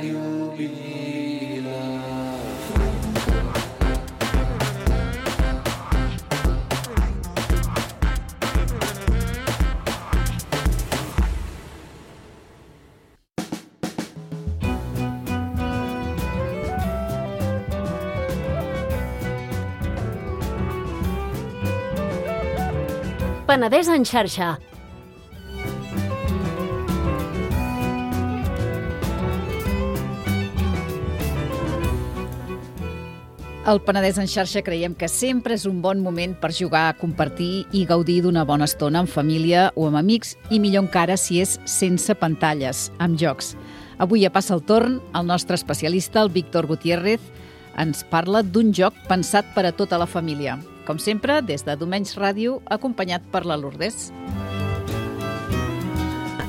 Ràdio Vila. Penedès en xarxa. Al Penedès en xarxa creiem que sempre és un bon moment per jugar, compartir i gaudir d'una bona estona en família o amb amics, i millor encara si és sense pantalles, amb jocs. Avui ja passa el torn, el nostre especialista, el Víctor Gutiérrez, ens parla d'un joc pensat per a tota la família. Com sempre, des de Domenys Ràdio, acompanyat per la Lourdes.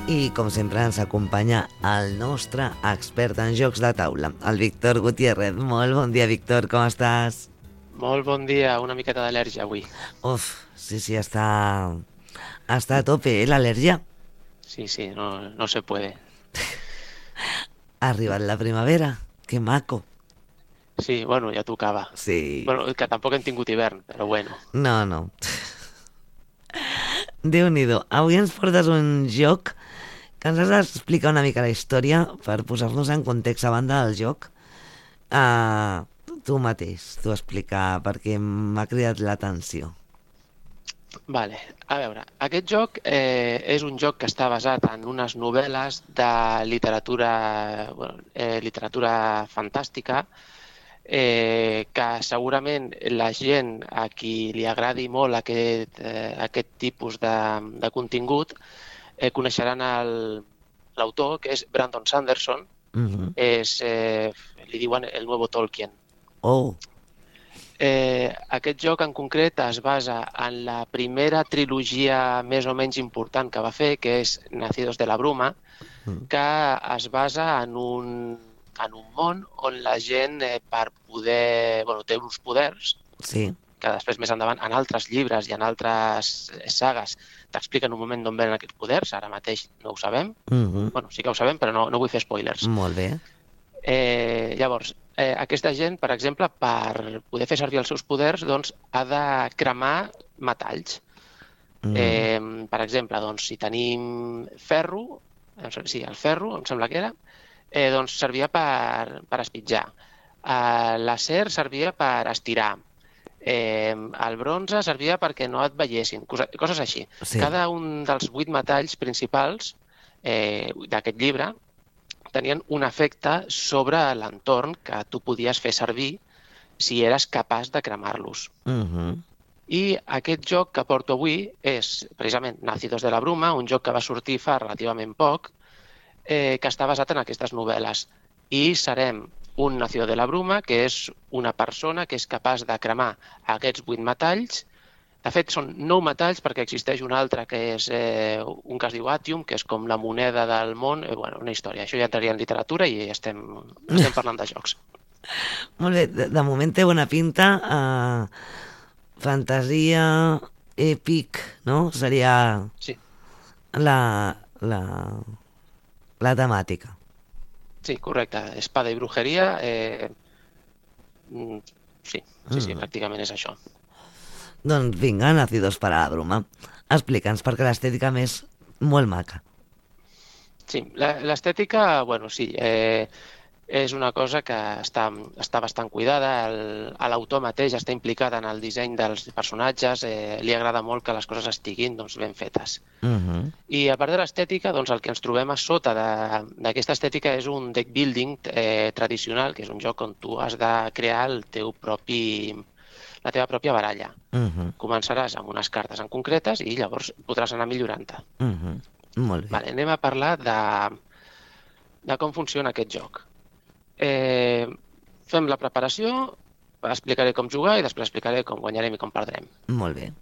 I, com sempre, ens acompanya el nostre expert en jocs de taula, el Víctor Gutiérrez. Molt bon dia, Víctor, com estàs? Molt bon dia, una miqueta d'al·lèrgia avui. Uf, sí, està a tope, l'al·lèrgia? Sí, no se puede. Ha arribat la primavera, que maco. Sí, bueno, ja tocava. Sí. Bueno, que tampoc hem tingut hivern, però bueno. No. Déu-n'hi-do. Avui ens portes un joc que ens has d'explicar una mica la història per posar-nos en context a banda del joc. Tu mateix, tu explicar, perquè m'ha cridat l'atenció. Vale, a veure, aquest joc és un joc que està basat en unes novel·les de literatura fantàstica, que segurament la gent a qui li agradi molt aquest tipus de contingut coneixeran l'autor, que és Brandon Sanderson. Li diuen el nuevo Tolkien. Aquest joc en concret es basa en la primera trilogia més o menys important que va fer, que és Nacidos de la Bruma, que es basa en un món on la gent, per poder... té uns poders, sí, que després més endavant en altres llibres i en altres sagues t'expliquen un moment d'on venen aquests poders. Ara mateix no ho sabem. Bueno, sí que ho sabem, però no vull fer spoilers. Molt bé. Llavors, aquesta gent, per exemple, per poder fer servir els seus poders, doncs, ha de cremar metalls. Per exemple, doncs, si tenim ferro, sí, el ferro, em sembla que era, doncs servia per espitjar. L'acer servia per estirar. El bronze servia perquè no et veiessin, coses així. Sí. Cada un dels 8 metalls principals d'aquest llibre tenien un efecte sobre l'entorn que tu podies fer servir si eres capaç de cremar-los. I aquest joc que porto avui és precisament Nacidos de la Bruma, un joc que va sortir fa relativament poc, que està basat en aquestes novel·les. I serem un Nacido de la Bruma, que és una persona que és capaç de cremar aquests 8 metalls. De fet, són 9 metalls perquè existeix un altre que és un que es diu Atium, que és com la moneda del món. Una història. Això ja entraria en literatura i estem parlant de jocs. Molt bé. De moment té bona pinta. Fantasia, èpic, no? Seria la temàtica. Sí, correcte. Espada i brujeria. Sí, pràcticament és això. Doncs vinga, Nacidos para la Bruma. Explica'ns, perquè l'estètica és molt maca. Sí, l'estètica, sí, és una cosa que està bastant cuidada. L'autor mateix està implicat en el disseny dels personatges, li agrada molt que les coses estiguin ben fetes. I a part de l'estètica, el que ens trobem a sota d'aquesta estètica és un deck building tradicional, que és un joc on tu has de crear la teva pròpia baralla. Començaràs amb unes cartes en concretes i llavors podràs anar millorant-te. Molt bé. Anem a parlar de com funciona aquest joc. Fem la preparació, explicaré com jugar i després explicaré com guanyarem i com perdrem. Molt bé.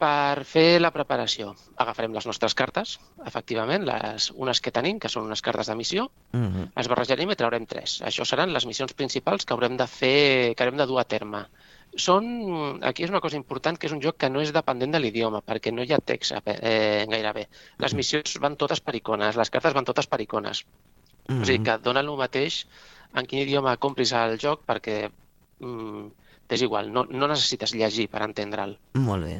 Per fer la preparació agafarem les nostres cartes, efectivament, unes que tenim, que són unes cartes de missió, les barrejarem i traurem 3. Això seran les missions principals que haurem de fer, que haurem de dur a terme. Aquí és una cosa important, que és un joc que no és dependent de l'idioma, perquè no hi ha text gairebé. Les missions van totes per icones, les cartes van totes per icones. O sigui, que et dona el mateix en quin idioma compris el joc perquè és igual, no necessites llegir per entendre'l. Molt bé.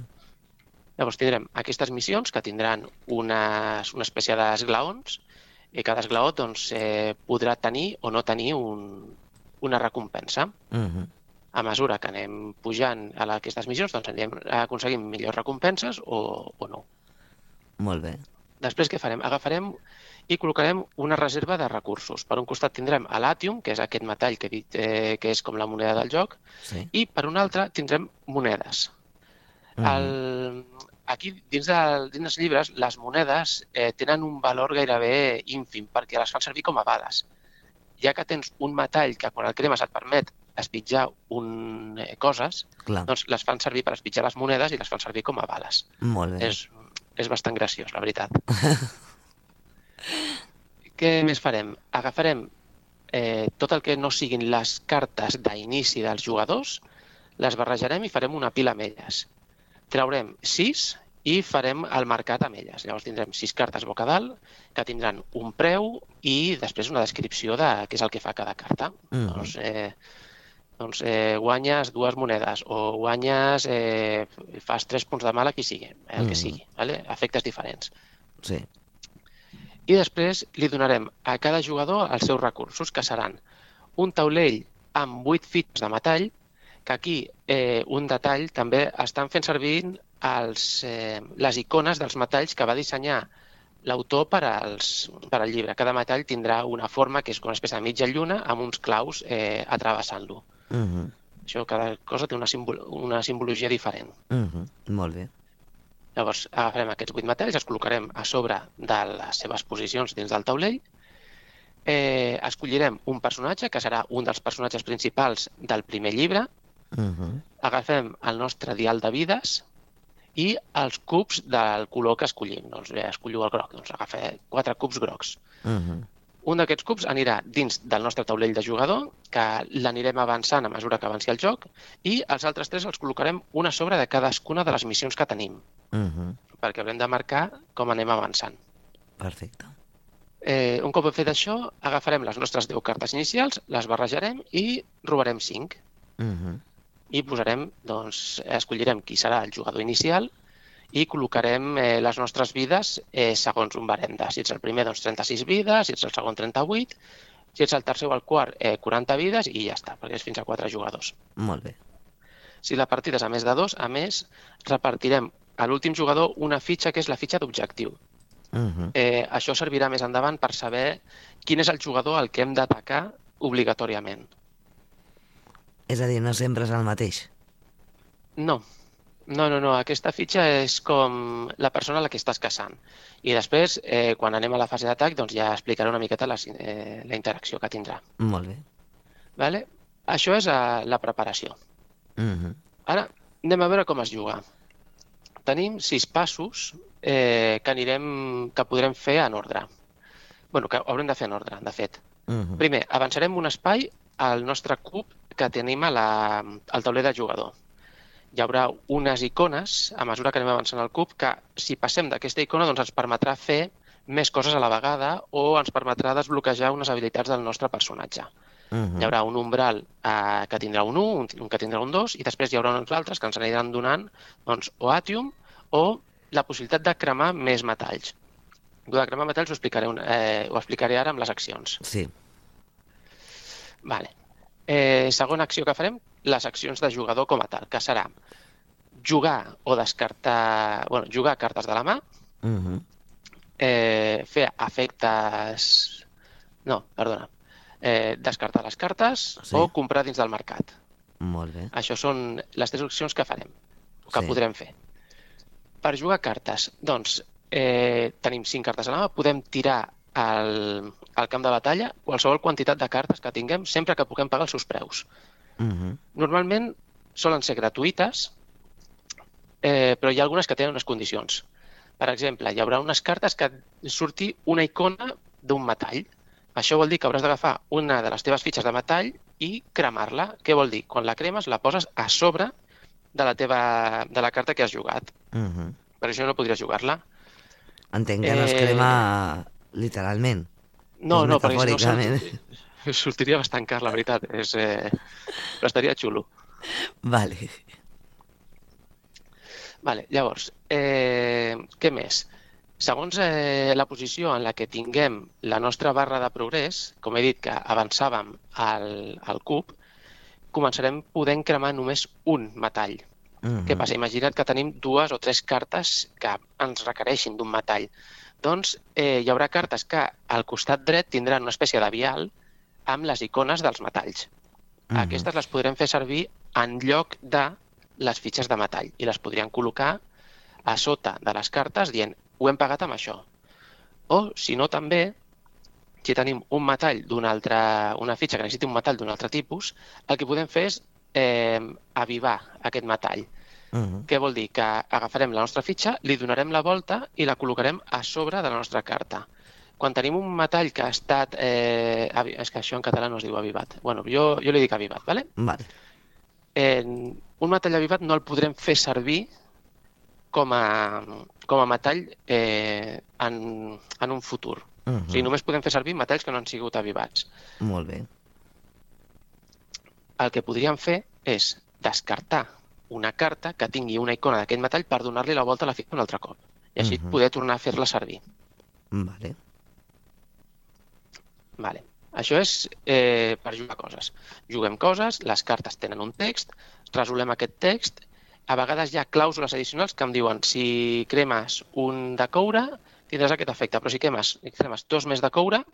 Llavors tindrem aquestes missions que tindran una espècie d'esglaons i cada esglaó doncs, podrà tenir o no tenir una recompensa. A mesura que anem pujant a aquestes missions, doncs anem aconseguint millors recompenses o no. Molt bé. Després què farem? Agafarem i col·locarem una reserva de recursos. Per un costat tindrem l'Atium, que és aquest metall que he dit que és com la moneda del joc, i per un altre tindrem monedes. Aquí, dins dels llibres, les monedes tenen un valor gairebé ínfim, perquè les fan servir com a bales. Ja que tens un metall que quan el cremes et permet espitjar coses, doncs les fan servir per espitjar les monedes i les fan servir com a bales. Molt bé. És bastant graciós, la veritat. Què més farem? Agafarem tot el que no siguin les cartes d'inici dels jugadors, les barrejarem i farem una pila amb elles. Traurem 6 i farem el mercat amb elles. Llavors tindrem 6 cartes boca dalt que tindran un preu i després una descripció de què és el que fa cada carta. Doncs guanyes 2 monedes o guanyes, fas 3 punts de mal a qui sigui, el que sigui, efectes diferents. Sí. I després li donarem a cada jugador els seus recursos, que seran un taulell amb 8 fitxes de metall, que aquí un detall també estan fent servir les icones dels metalls que va dissenyar l'autor per al llibre. Cada metall tindrà una forma que és com una espècie de mitja lluna amb uns claus atrevessant-lo. Això, cada cosa té una simbologia diferent. Molt bé. Llavors agafarem aquests 8 metalls, els col·locarem a sobre de les seves posicions dins del taulell, escollirem un personatge, que serà un dels personatges principals del primer llibre, agafem el nostre dial de vides i els cubs del color que escollim. Doncs bé, escolliu el groc, doncs agafem 4 cubs grocs. Un d'aquests cubs anirà dins del nostre taulell de jugador, que l'anirem avançant a mesura que avanci el joc, i els altres 3 els col·locarem una a sobre de cadascuna de les missions que tenim, perquè haurem de marcar com anem avançant. Perfecte. Un cop hem fet això, agafarem les nostres 10 cartes inicials, les barrejarem i robarem 5. I posarem, doncs, escollirem qui serà el jugador inicial i col·locarem les nostres vides segons un barem de, si ets el primer, doncs 36 vides, si ets el segon 38, si ets el tercer o el quart 40 vides i ja està, perquè és fins a 4 jugadors. Molt bé. Si la partida és a més de 2, a més, repartirem a l'últim jugador una fitxa que és la fitxa d'objectiu. Això servirà més endavant per saber quin és el jugador al que hem d'atacar obligatòriament. És a dir, no sempre és el mateix? No. Aquesta fitxa és com la persona a la que estàs caçant. I després, quan anem a la fase d'atac, doncs ja explicaré una miqueta la interacció que tindrà. Molt bé. Vale? Això és la preparació. Ara anem a veure com es juga. Tenim 6 passos que podrem fer en ordre. Bueno, que haurem de fer en ordre, de fet. Primer, avançarem un espai al nostre cub que tenim al tauler de jugador. Hi haurà unes icones, a mesura que anem avançant al cub, que si passem d'aquesta icona doncs ens permetrà fer més coses a la vegada o ens permetrà desbloquejar unes habilitats del nostre personatge. Hi haurà un umbral que tindrà un 1, un que tindrà un 2, i després hi haurà uns altres que ens aniran donant o Atium o la possibilitat de cremar més metalls. El de cremar metalls ho explicaré ara amb les accions. Sí. Vale. Segona acció que farem, les accions de jugador com a tal, que serà jugar o descartar... jugar cartes de la mà, fer efectes... descartar les cartes o comprar dins del mercat. Molt bé. Això són les 3 opcions que farem, que podrem fer. Per jugar cartes, doncs, tenim 5 cartes a la mà, podem tirar al camp de batalla qualsevol quantitat de cartes que tinguem sempre que puguem pagar els seus preus. Normalment solen ser gratuïtes, però hi ha algunes que tenen unes condicions. Per exemple, hi haurà unes cartes que surti una icona d'un metall. Això vol dir que hauràs d'agafar una de les teves fitxes de metall i cremar-la. Què vol dir? Quan la cremes la poses a sobre de la carta que has jugat. Per això no podries jugar-la. Entenc que no es crema literalment. No, És perquè si no metafòricament. sortiria bastant car, la veritat. Però estaria xulo. Vale. Vale, llavors, què més? Segons la posició en la que tinguem la nostra barra de progrés, com he dit que avançàvem al cub, començarem podent cremar només un metall. Què passa? Imagina't que tenim 2 o 3 cartes que ens requereixin d'un metall. Doncs hi haurà cartes que al costat dret tindran una espècie de vial amb les icones dels metalls. Aquestes les podrem fer servir en lloc de les fitxes de metall i les podríem col·locar a sota de les cartes dient ho hem pagat amb això. O, si no, també, si tenim un metall una fitxa que necessiti un metall d'un altre tipus, el que podem fer és avivar aquest metall. Què vol dir? Que agafarem la nostra fitxa, li donarem la volta i la col·locarem a sobre de la nostra carta. Quan tenim un metall que ha estat... és que això en català no es diu avivat. Bueno, jo li dic avivat, ¿vale? Vale. Un metall avivat no el podrem fer servir com a metall en un futur. O sigui, només podem fer servir metalls que no han sigut avivats. Molt bé. El que podríem fer és descartar una carta que tingui una icona d'aquest metall per donar-li la volta a la fitxa un altre cop. I així poder tornar a fer-la servir. Vale. Vale. Això és per jugar coses. Juguem coses, les cartes tenen un text, resolem aquest text, a vegades hi ha clàusules addicionals que em diuen si cremes un de coure tindràs aquest efecte, però si cremes 2 més de coure,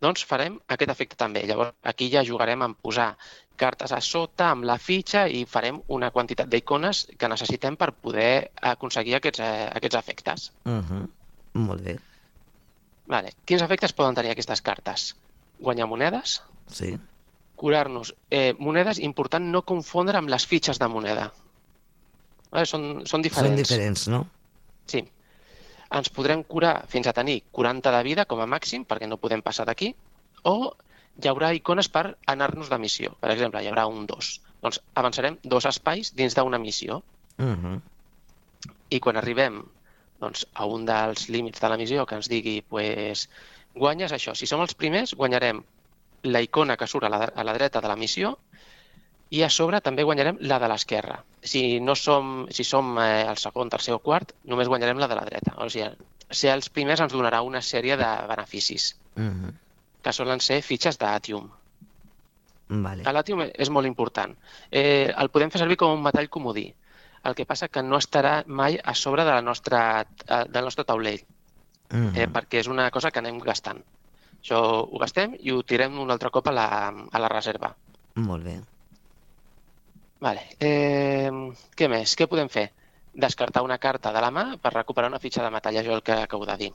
doncs farem aquest efecte també. Llavors aquí ja jugarem en posar cartes a sota amb la fitxa i farem una quantitat d'icones que necessitem per poder aconseguir aquests efectes. Molt bé. Vale. Quins efectes poden tenir aquestes cartes? Guanyar monedes, Sí. curar-nos. Monedes, important no confondre amb les fitxes de moneda. Vale? Són diferents. Són diferents, no? Sí. Ens podrem curar fins a tenir 40 de vida com a màxim, perquè no podem passar d'aquí, o hi haurà icones per anar-nos de missió. Per exemple, hi haurà un 2. Doncs avançarem 2 espais dins d'una missió. I quan arribem a un dels límits de la missió que ens digui guanyes això. Si som els primers, guanyarem la icona que surt a la dreta de la missió i a sobre també guanyarem la de l'esquerra. Si som el segon, tercer o quart, només guanyarem la de la dreta. O sigui, ser els primers ens donarà una sèrie de beneficis, que solen ser fitxes d'Atium. Vale. L'Atium és molt important. El podem fer servir com un metall comodí. El que passa que no estarà mai a sobre del nostre taulell, perquè és una cosa que anem gastant. Això ho gastem i ho tirem un altre cop a la reserva. Molt bé. Vale. Què més? Què podem fer? Descartar una carta de la mà per recuperar una fitxa de metall, això és el que acabo de dir.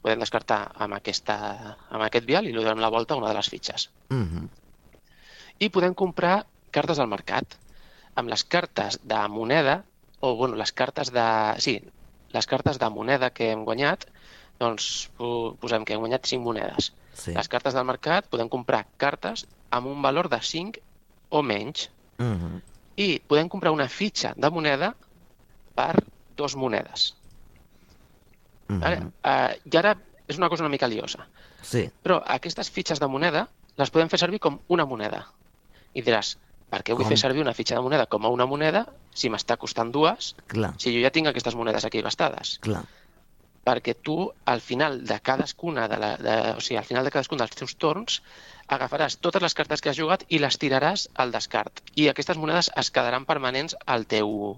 Podem descartar amb aquest vial i li donem la volta a una de les fitxes. I podem comprar cartes al mercat. Amb les cartes de moneda, les cartes de moneda que hem guanyat, doncs posem que hem guanyat 5 monedes. Sí. Les cartes del mercat podem comprar cartes amb un valor de 5 o menys. I podem comprar una fitxa de moneda per 2 monedes. I ara és una cosa una mica liosa. Sí. Però aquestes fitxes de moneda les podem fer servir com una moneda. I diràs, per què vull fer servir una fitxa de moneda com a una moneda si m'està costant 2, Clar. si jo ja tinc aquestes monedes aquí gastades? Clar. Perquè tu, al final de cadascun dels teus torns, agafaràs totes les cartes que has jugat i les tiraràs al descart. I aquestes monedes es quedaran permanents al teu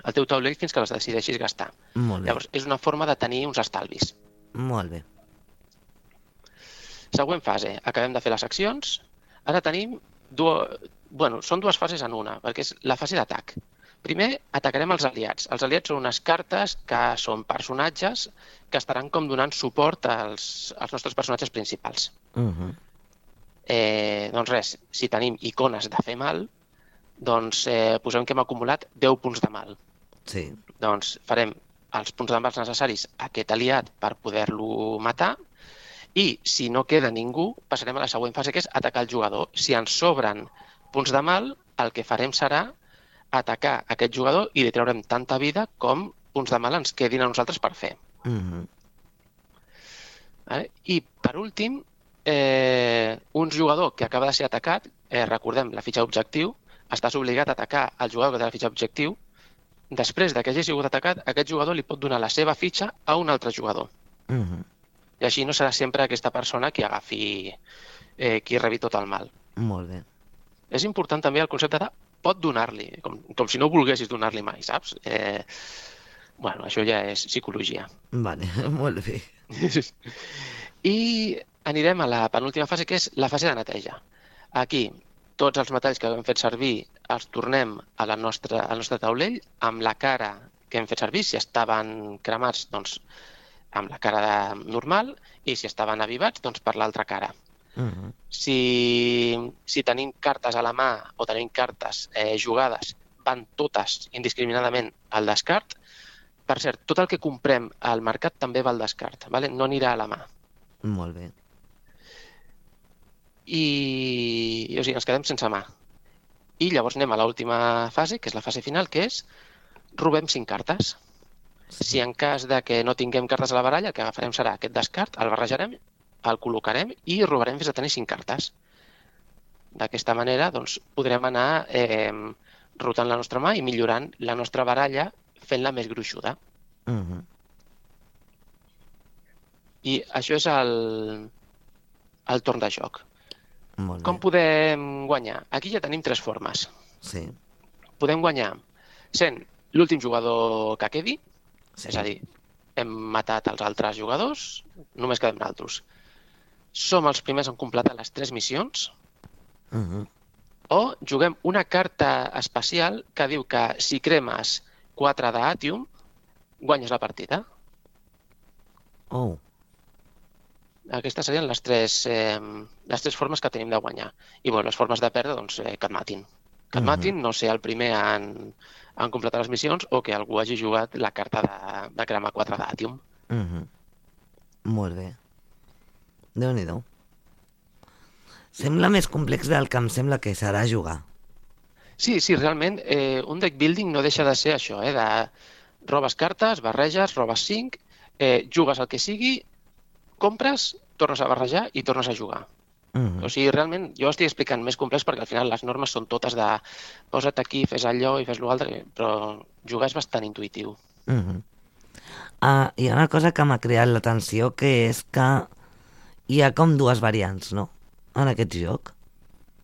taulell fins que les decideixis gastar. Molt bé. Llavors, és una forma de tenir uns estalvis. Molt bé. Següent fase. Acabem de fer les accions. Ara tenim són 2 fases en una, perquè és la fase d'atac. Primer, atacarem els aliats. Els aliats són unes cartes que són personatges que estaran com donant suport als nostres personatges principals. Doncs res, si tenim icones de fer mal, doncs posem que hem acumulat 10 punts de mal. Sí. Doncs farem els punts de mal necessaris a aquest aliat per poder-lo matar i si no queda ningú, passarem a la següent fase, que és atacar el jugador. Si ens sobren punts de mal, el que farem serà atacar aquest jugador i li traurem tanta vida com punts de mal ens quedin a nosaltres per fer. Vale? I, per últim, un jugador que acaba de ser atacat, recordem, la fitxa objectiu, estàs obligat a atacar el jugador que té la fitxa objectiu. Després que hagi sigut atacat, aquest jugador li pot donar la seva fitxa a un altre jugador. I així no serà sempre aquesta persona qui agafi, qui rebi tot el mal. Molt bé. És important també el concepte de pot donar-li, com si no volguessis donar-li mai, saps? Bueno, això ja és psicologia. Vale, molt bé. I anirem a la penúltima fase, que és la fase de neteja. Aquí, tots els metalls que hem fet servir els tornem al nostre taulell amb la cara que hem fet servir. Si estaven cremats, doncs amb la cara normal, i si estaven avivats, doncs per l'altra cara. Si tenim cartes a la mà o tenim cartes jugades, van totes indiscriminadament al descart. Per cert, tot el que comprem al mercat també va al descart, vale? No anirà a la mà. Molt bé. I o sigui, ens quedem sense mà. I llavors anem a l'última fase, que és la fase final, que és robem 5 cartes. Si en cas de que no tinguem cartes a la baralla, el que agafarem serà aquest descart, el barrejarem, el col·locarem i robarem fins a tenir 5 cartes. D'aquesta manera doncs, podrem anar rotant la nostra mà i millorant la nostra baralla fent-la més gruixuda. I això és el torn de joc. Com podem guanyar? Aquí ja tenim 3 formes. Sí. Podem guanyar sent l'últim jugador que quedi, és a dir, hem matat els altres jugadors, només quedem nosaltres. Som els primers en completar les 3 missions, o juguem una carta especial que diu que si cremes 4 d'Atium, guanyes la partida. Aquestes serien les 3 formes que tenim de guanyar. I les formes de perdre, doncs, que et matin. Que et matin, no ser el primer en completar les missions o que algú hagi jugat la carta de cremar 4 d'Atium. Molt bé. Déu-n'hi-do. Sembla més complex del que em sembla que serà jugar. Sí, realment, un deck building no deixa de ser això, de robes cartes, barreges, robes 5, jugues el que sigui, compres, tornes a barrejar i tornes a jugar. O sigui, realment, jo estic explicant més complex perquè al final les normes són totes de posa't aquí, fes allò i fes l'altre, però jugar és bastant intuïtiu. Hi ha una cosa que m'ha cridat l'atenció, que és que hi ha com 2 variants, no?, en aquest joc.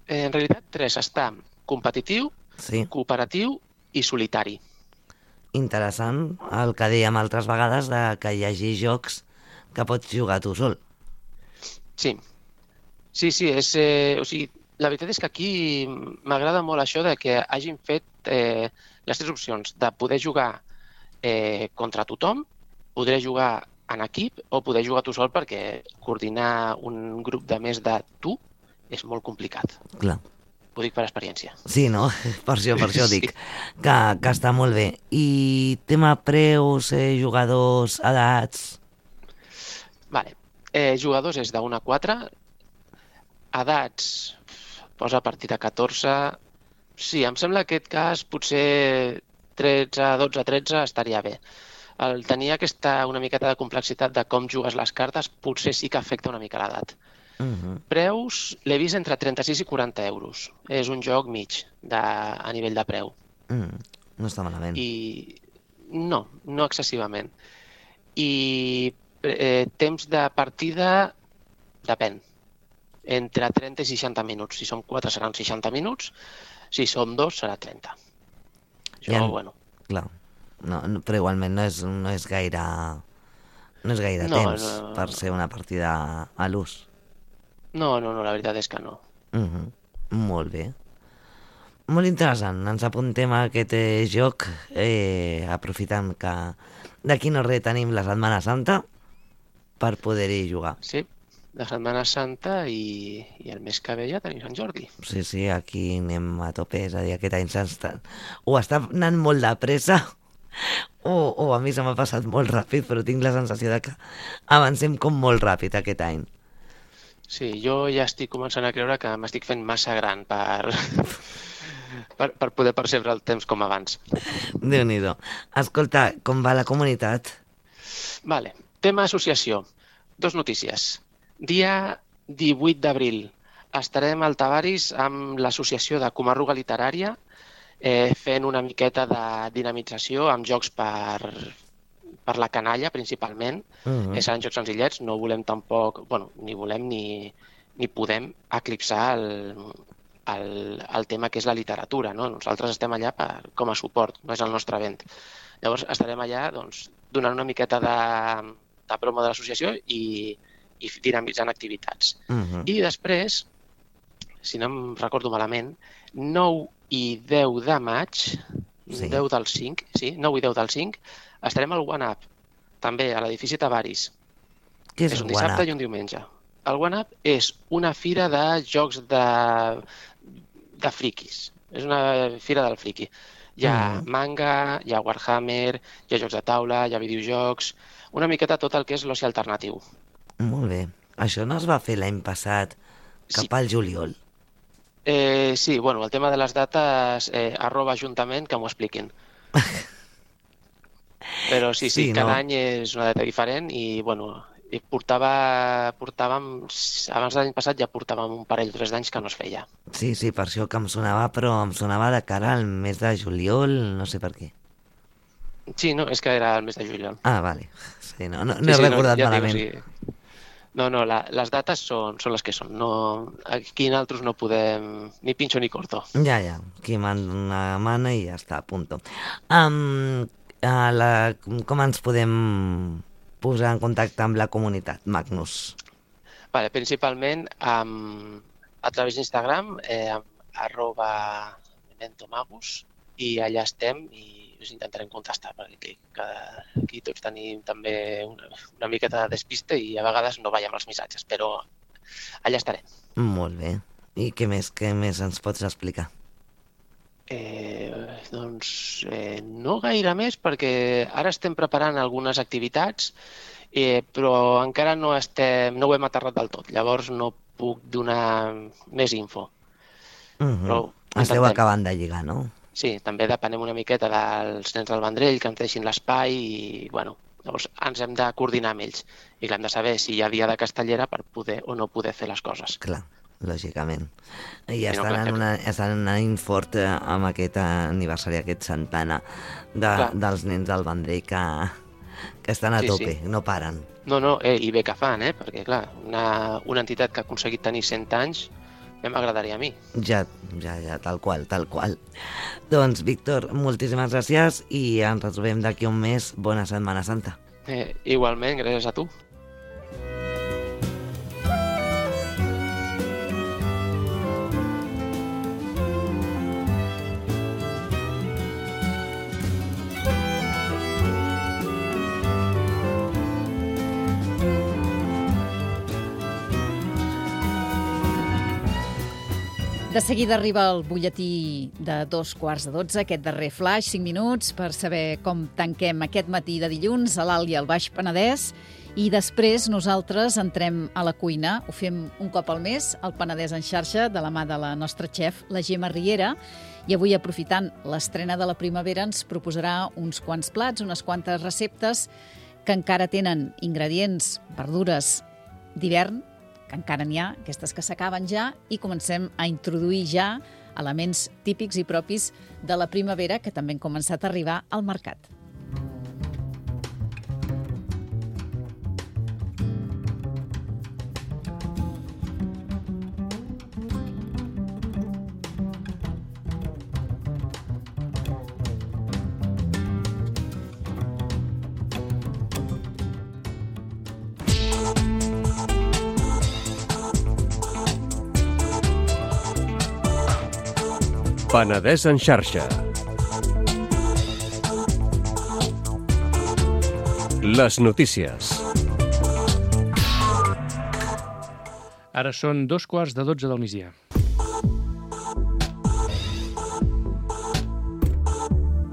En realitat, 3. Està competitiu, cooperatiu i solitari. Interessant el que dèiem altres vegades de que hi hagi jocs que pots jugar tu sol. Sí, o sigui, la veritat és que aquí m'agrada molt això de que hagin fet les 3 opcions de poder jugar contra tothom, poder jugar en equip o poder jugar tu sol, perquè coordinar un grup de més de tu és molt complicat. Clar. Ho dic per experiència. Sí, no? Per això dic que està molt bé. I tema preus, jugadors, edats... Vale. Jugadors és de 1 a 4. Edats posa a partir de 14. Sí, em sembla que aquest cas potser 13, 12, 13 estaria bé. El tenir una miqueta de complexitat de com jugues les cartes potser sí que afecta una mica l'edat. Preus l'he vist entre 36 i 40 euros. És un joc mig a nivell de preu. No està malament. No excessivament. I temps de partida depèn. Entre 30 i 60 minuts. Si som 4 seran 60 minuts. Si som 2 serà 30. Això, bueno. Clar. No, però igualment no és gaire temps per ser una partida a l'ús. No, la veritat és que no. Molt bé. Molt interessant. Ens apuntem a aquest joc, aprofitant que d'aquí no res tenim la Setmana Santa per poder-hi jugar. Sí, la Setmana Santa i el mes que ve ja tenim Sant Jordi. Sí, aquí anem a tope, és a dir, aquest any o està anant molt de pressa o a mi se m'ha passat molt ràpid, però tinc la sensació de que avancem com molt ràpid aquest any. Sí, jo ja estic començant a creure que m'estic fent massa gran per poder percebre el temps com abans. Déu-n'hi-do. Escolta, com va la comunitat? Vale, tema associació. Dos notícies. Dia 18 d'abril estarem al Tavaris amb l'Associació de Comarruga Literària fent una miqueta de dinamització amb jocs per la canalla, principalment. Seran jocs senzillets, no volem tampoc... ni volem ni podem eclipsar el tema que és la literatura, no? Nosaltres estem allà com a suport, no és el nostre event. Llavors estarem allà donant una miqueta de promo de l'associació i dinamitzant activitats. I després, si no em recordo malament, 9 i 10 de maig, 9 i 10 del 5, estarem al One Up, també a l'edifici Tavaris. Què és un el dissabte One Up? i un diumenge. El One Up és una fira de jocs de friquis. És una fira del friqui. Hi ha manga, hi ha Warhammer, hi ha jocs de taula, hi ha videojocs, una miqueta tot el que és l'oci alternatiu. Molt bé. Això no es va fer l'any passat cap al juliol? Sí, el tema de les dates, @ajuntament, que m'ho expliquin. Però sí, cada any és una data diferent i, portàvem, abans de l'any passat ja portàvem un parell o 3 d'anys que no es feia. Sí, per això que em sonava, però em sonava de cara al mes de juliol, no sé per què. Sí, no, és que era el mes de juliol. Ah, vale. Sí, no he recordat malament. No, les dates són les que són. Aquí nosaltres no podem ni pinxo ni corto. Ja, qui mana i ja està, punto. Com ens podem posar en contacte amb la comunitat, Magnus? Principalment a través d'Instagram, @mementomagus, i allà estem i us intentarem contestar, perquè aquí tots tenim també una miqueta de despiste i a vegades no veiem els missatges, però allà estarem. Molt bé. I què més ens pots explicar? No gaire més, perquè ara estem preparant algunes activitats, però encara no ho hem aterrat del tot, llavors no puc donar més info. Esteu acabant de lligar, no? Sí, també depenem una miqueta dels nens del Vendrell, que ens deixin l'espai i, llavors ens hem de coordinar amb ells. I hem de saber si hi ha dia de castellera per poder o no poder fer les coses. Clar, lògicament. I estan anant fort amb aquest aniversari, aquest centena dels nens del Vendrell que estan a tope, no paren. No, i bé que fan, perquè, clar, una entitat que ha aconseguit tenir 100 anys, m'agradaria a mi. Ja, tal qual. Doncs, Víctor, moltíssimes gràcies i ens retrobem d'aquí un mes. Bona Setmana Santa. Igualment, gràcies a tu. De seguida arriba el butlletí de 11:45, aquest darrer flash, 5 minuts, per saber com tanquem aquest matí de dilluns a l'Alt i al Baix Penedès. I després nosaltres entrem a la cuina. Ho fem un cop al mes, al Penedès en xarxa, de la mà de la nostra xef, la Gemma Riera. I avui, aprofitant l'estrena de la primavera, ens proposarà uns quants plats, unes quantes receptes que encara tenen ingredients, verdures d'hivern, que encara n'hi ha, aquestes que s'acaben ja, i comencem a introduir ja elements típics i propis de la primavera que també han començat a arribar al mercat. Penedès en xarxa. Les notícies. Ara són 11:45 del migdia.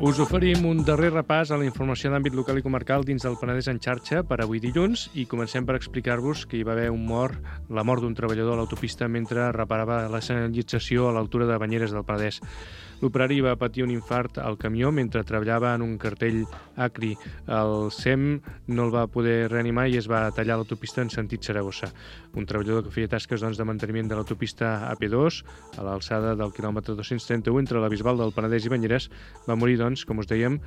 Us oferim un darrer repàs a la informació d'àmbit local i comarcal dins del Penedès en xarxa per avui dilluns i comencem per explicar-vos que hi va haver la mort d'un treballador a l'autopista mentre reparava la senyalització a l'altura de Banyeres del Penedès. L'operari va patir un infart al camió mentre treballava en un cartell acri. El SEM no el va poder reanimar i es va tallar l'autopista en sentit Saragossa. Un treballador que feia tasques de manteniment de l'autopista AP2 a l'alçada del quilòmetre 231 entre la Bisbal del Penedès i Banyeres va morir, com us dèiem,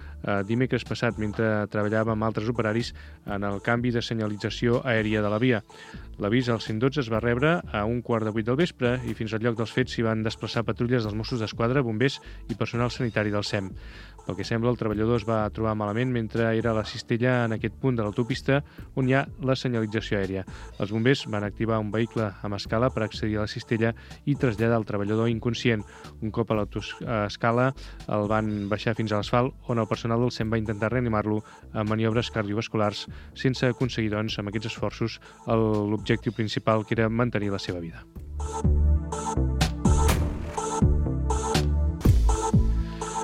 dimecres passat mentre treballava amb altres operaris en el canvi de senyalització aèria de la via. L'avís al 112 es va rebre a 7:15 del vespre i fins al lloc dels fets s'hi van desplaçar patrulles dels Mossos d'Esquadra, bombers i personal sanitari del SEM. Pel que sembla, el treballador es va trobar malament mentre era a la cistella en aquest punt de l'autopista on hi ha la senyalització aèria. Els bombers van activar un vehicle amb escala per accedir a la cistella i traslladar el treballador inconscient. Un cop a l'autoscala el van baixar fins a l'asfalt, on el personal del SEM va intentar reanimar-lo amb maniobres cardiovasculars, sense aconseguir, amb aquests esforços, l'objectiu principal, que era mantenir la seva vida.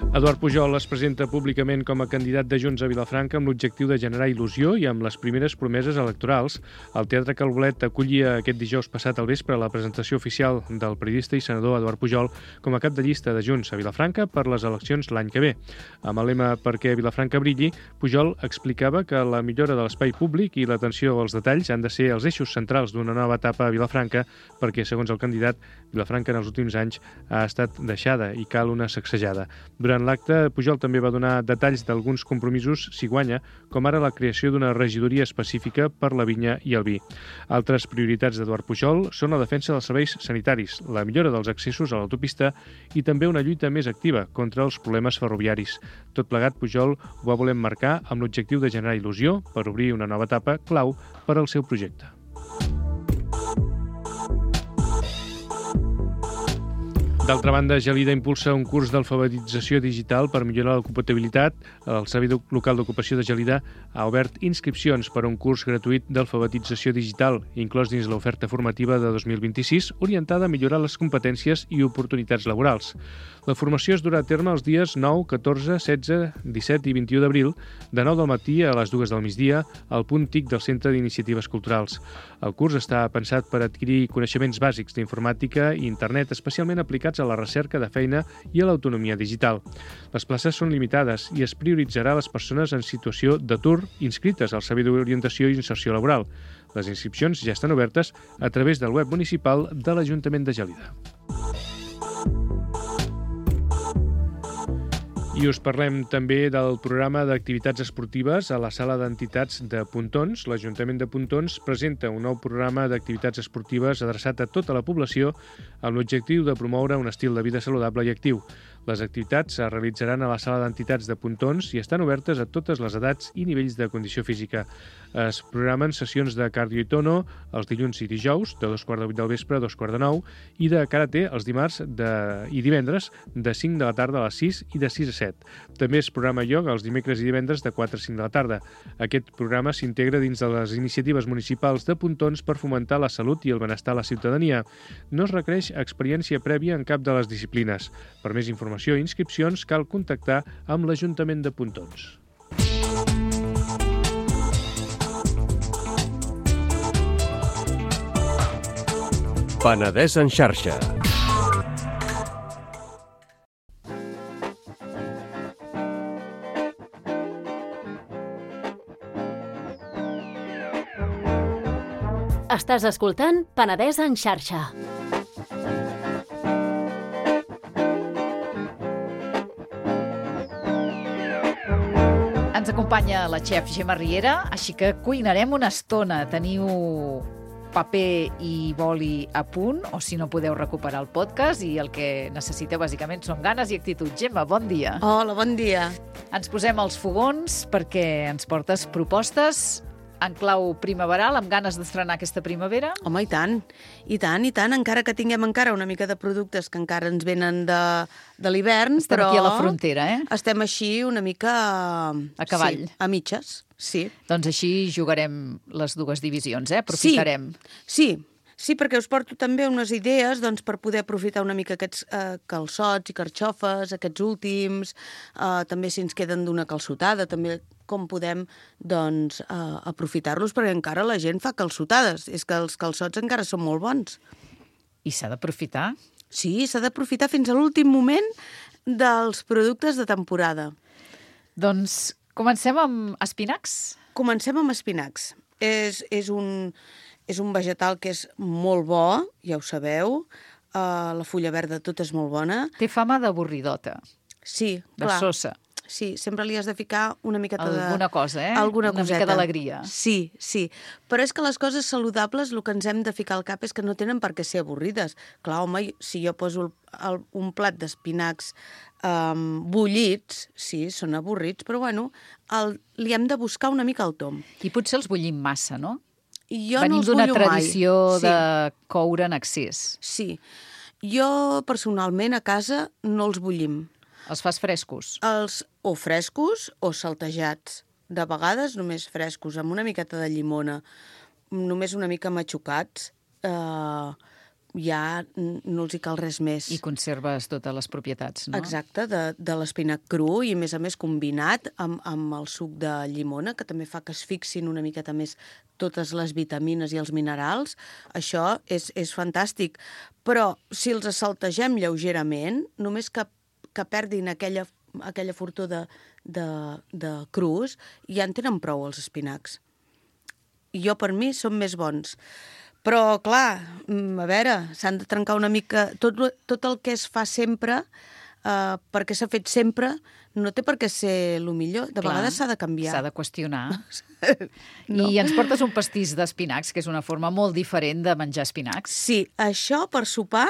Eduard Pujol es presenta públicament com a candidat de Junts a Vilafranca amb l'objectiu de generar il·lusió i amb les primeres promeses electorals. El Teatre Calbolet acollia aquest dijous passat al vespre la presentació oficial del periodista i senador Eduard Pujol com a cap de llista de Junts a Vilafranca per les eleccions l'any que ve. Amb el lema «Perquè Vilafranca brilli», Pujol explicava que la millora de l'espai públic i l'atenció als detalls han de ser els eixos centrals d'una nova etapa a Vilafranca perquè, segons el candidat, Vilafranca en els últims anys ha estat deixada i cal una sacsejada. Durant l'acte, Pujol també va donar detalls d'alguns compromisos si guanya, com ara la creació d'una regidoria específica per la vinya i el vi. Altres prioritats d'Eduard Pujol són la defensa dels serveis sanitaris, la millora dels accessos a l'autopista i també una lluita més activa contra els problemes ferroviaris. Tot plegat, Pujol ho va voler marcar amb l'objectiu de generar il·lusió per obrir una nova etapa clau per al seu projecte. D'altra banda, Gelida impulsa un curs d'alfabetització digital per millorar l'ocupabilitat. El Servei Local d'Ocupació de Gelida ha obert inscripcions per a un curs gratuït d'alfabetització digital, inclòs dins l'oferta formativa de 2026, orientada a millorar les competències i oportunitats laborals. La formació es durà a terme els dies 9, 14, 16, 17 i 21 d'abril, de 9 del matí a les 2 del migdia, al punt TIC del Centre d'Iniciatives Culturals. El curs està pensat per adquirir coneixements bàsics d'informàtica i internet, especialment aplicats a la recerca de feina i a l'autonomia digital. Les places són limitades i es prioritzarà les persones en situació d'atur inscrites al Servei d'Orientació i Inserció Laboral. Les inscripcions ja estan obertes a través del web municipal de l'Ajuntament de Gelida. I us parlem també del programa d'activitats esportives a la sala d'entitats de Pontons. L'Ajuntament de Pontons presenta un nou programa d'activitats esportives adreçat a tota la població amb l'objectiu de promoure un estil de vida saludable i actiu. Les activitats es realitzaran a la sala d'entitats de Pontons i estan obertes a totes les edats i nivells de condició física. Es programen sessions de cardio i tono els dilluns i dijous, de 7:15 del vespre a 8:45, i de karate els dimarts i divendres, de 5 de la tarda a les 6 i de 6 a 7. També es programa ioga els dimecres i divendres de 4 a 5 de la tarda. Aquest programa s'integra dins de les iniciatives municipals de Pontons per fomentar la salut i el benestar a la ciutadania. No es requereix experiència prèvia en cap de les disciplines. Per més informació i inscripcions cal contactar amb l'Ajuntament de Pontons. Penedès en xarxa. Estàs escoltant Penedès en xarxa. Ens acompanya la xef Gemma Riera, així que cuinarem una estona. Teniu paper i boli a punt, o si no podeu recuperar el podcast, i el que necessiteu bàsicament són ganes i actitud. Gemma, bon dia. Hola, bon dia. Ens posem als fogons perquè ens portes propostes en clau primaveral, amb ganes d'estrenar aquesta primavera. Home, i tant, encara que tinguem encara una mica de productes que encara ens venen de l'hivern, Estem però... aquí a la frontera, Estem així una mica... A cavall. Sí, a mitges, sí. Doncs així jugarem les dues divisions, aprofitarem. Sí, perquè us porto també unes idees per poder aprofitar una mica aquests calçots i carxofes, aquests últims, també si ens queden d'una calçotada, també com podem aprofitar-los, perquè encara la gent fa calçotades. És que els calçots encara són molt bons. I s'ha d'aprofitar? Sí, s'ha d'aprofitar fins a l'últim moment. dels productes de temporada. Doncs comencem amb espinacs. Comencem amb espinacs. És un vegetal que és molt bo, ja ho sabeu. La fulla verda tot és molt bona. Té fama d'avorridota, Sí, de clar. sosa. Sí, sempre li has de ficar una miqueta Alguna cosa, eh? Alguna Una coseta. mica d'alegria. Sí, sí. Però és que les coses saludables el que ens hem de ficar al cap és que no tenen per què ser avorrides. Clar, home, si jo poso un plat d'espinacs bullits, sí, són avorrits, però bueno, li hem de buscar una mica el tom. I potser els bullim massa, no? I jo Venim no els d'una bullo tradició mai. de coure en excés. Sí. Jo, personalment, a casa no els bullim. Els fas frescos. Els o frescos o saltejats. De vegades només frescos, amb una miqueta de llimona, només una mica matxucats, ja no els hi cal res més. I conserves totes les propietats, no? Exacte, de l'espinac cru i, a més combinat amb el suc de llimona, que també fa que es fixin una miqueta més totes les vitamines i els minerals. Això és fantàstic. Però si els saltegem lleugerament, només que perdin aquella fortor de crus, ja en tenen prou els espinacs. I jo, per mi, són més bons. Però, clar, a veure, s'han de trencar una mica... Tot el que es fa sempre, perquè s'ha fet sempre, no té per què ser el millor. De vegades s'ha de canviar. S'ha de qüestionar. No. I ens portes un pastís d'espinacs, que és una forma molt diferent de menjar espinacs. Sí, això per sopar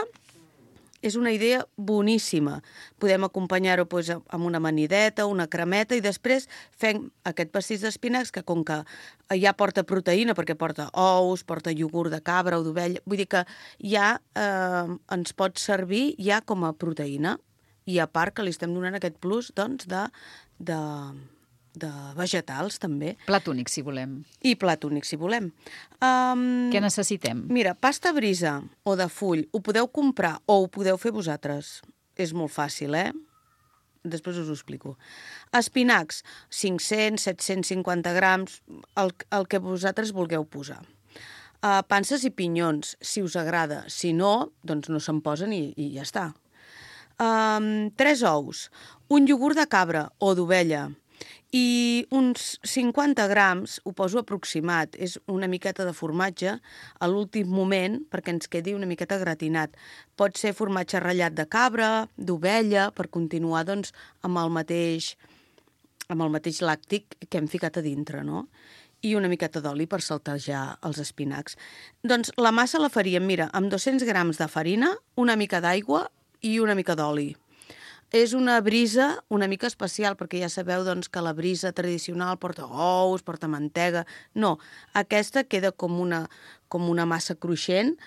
és una idea boníssima. Podem acompanyar-ho amb una amanideta, una cremeta, i després fem aquest pastís d'espinacs que, com que ja porta proteïna, perquè porta ous, porta iogurt de cabra o d'ovella, vull dir que ja ens pot servir ja com a proteïna. I a part que li estem donant aquest plus, doncs, de vegetals, també. Plat únic, si volem. I plat únic, si volem. Què necessitem? Mira, pasta brisa o de full, ho podeu comprar o ho podeu fer vosaltres. És molt fàcil, Després us ho explico. Espinacs, 500, 750 grams, el que vosaltres vulgueu posar. Panses i pinyons, si us agrada. Si no, doncs no se'n posen i ja està. 3 ous, un iogurt de cabra o d'ovella, i uns 50 grams, ho poso aproximat, és una miqueta de formatge a l'últim moment perquè ens quedi una miqueta gratinat. Pot ser formatge ratllat de cabra, d'ovella, per continuar doncs, amb el mateix làctic que hem ficat a dintre, no? I una miqueta d'oli per saltejar els espinacs. Doncs la massa la faríem, mira, amb 200 grams de farina, una mica d'aigua i una mica d'oli. És una brisa una mica especial, perquè ja sabeu doncs, que la brisa tradicional porta ous, porta mantega. No, aquesta queda com una massa cruixent,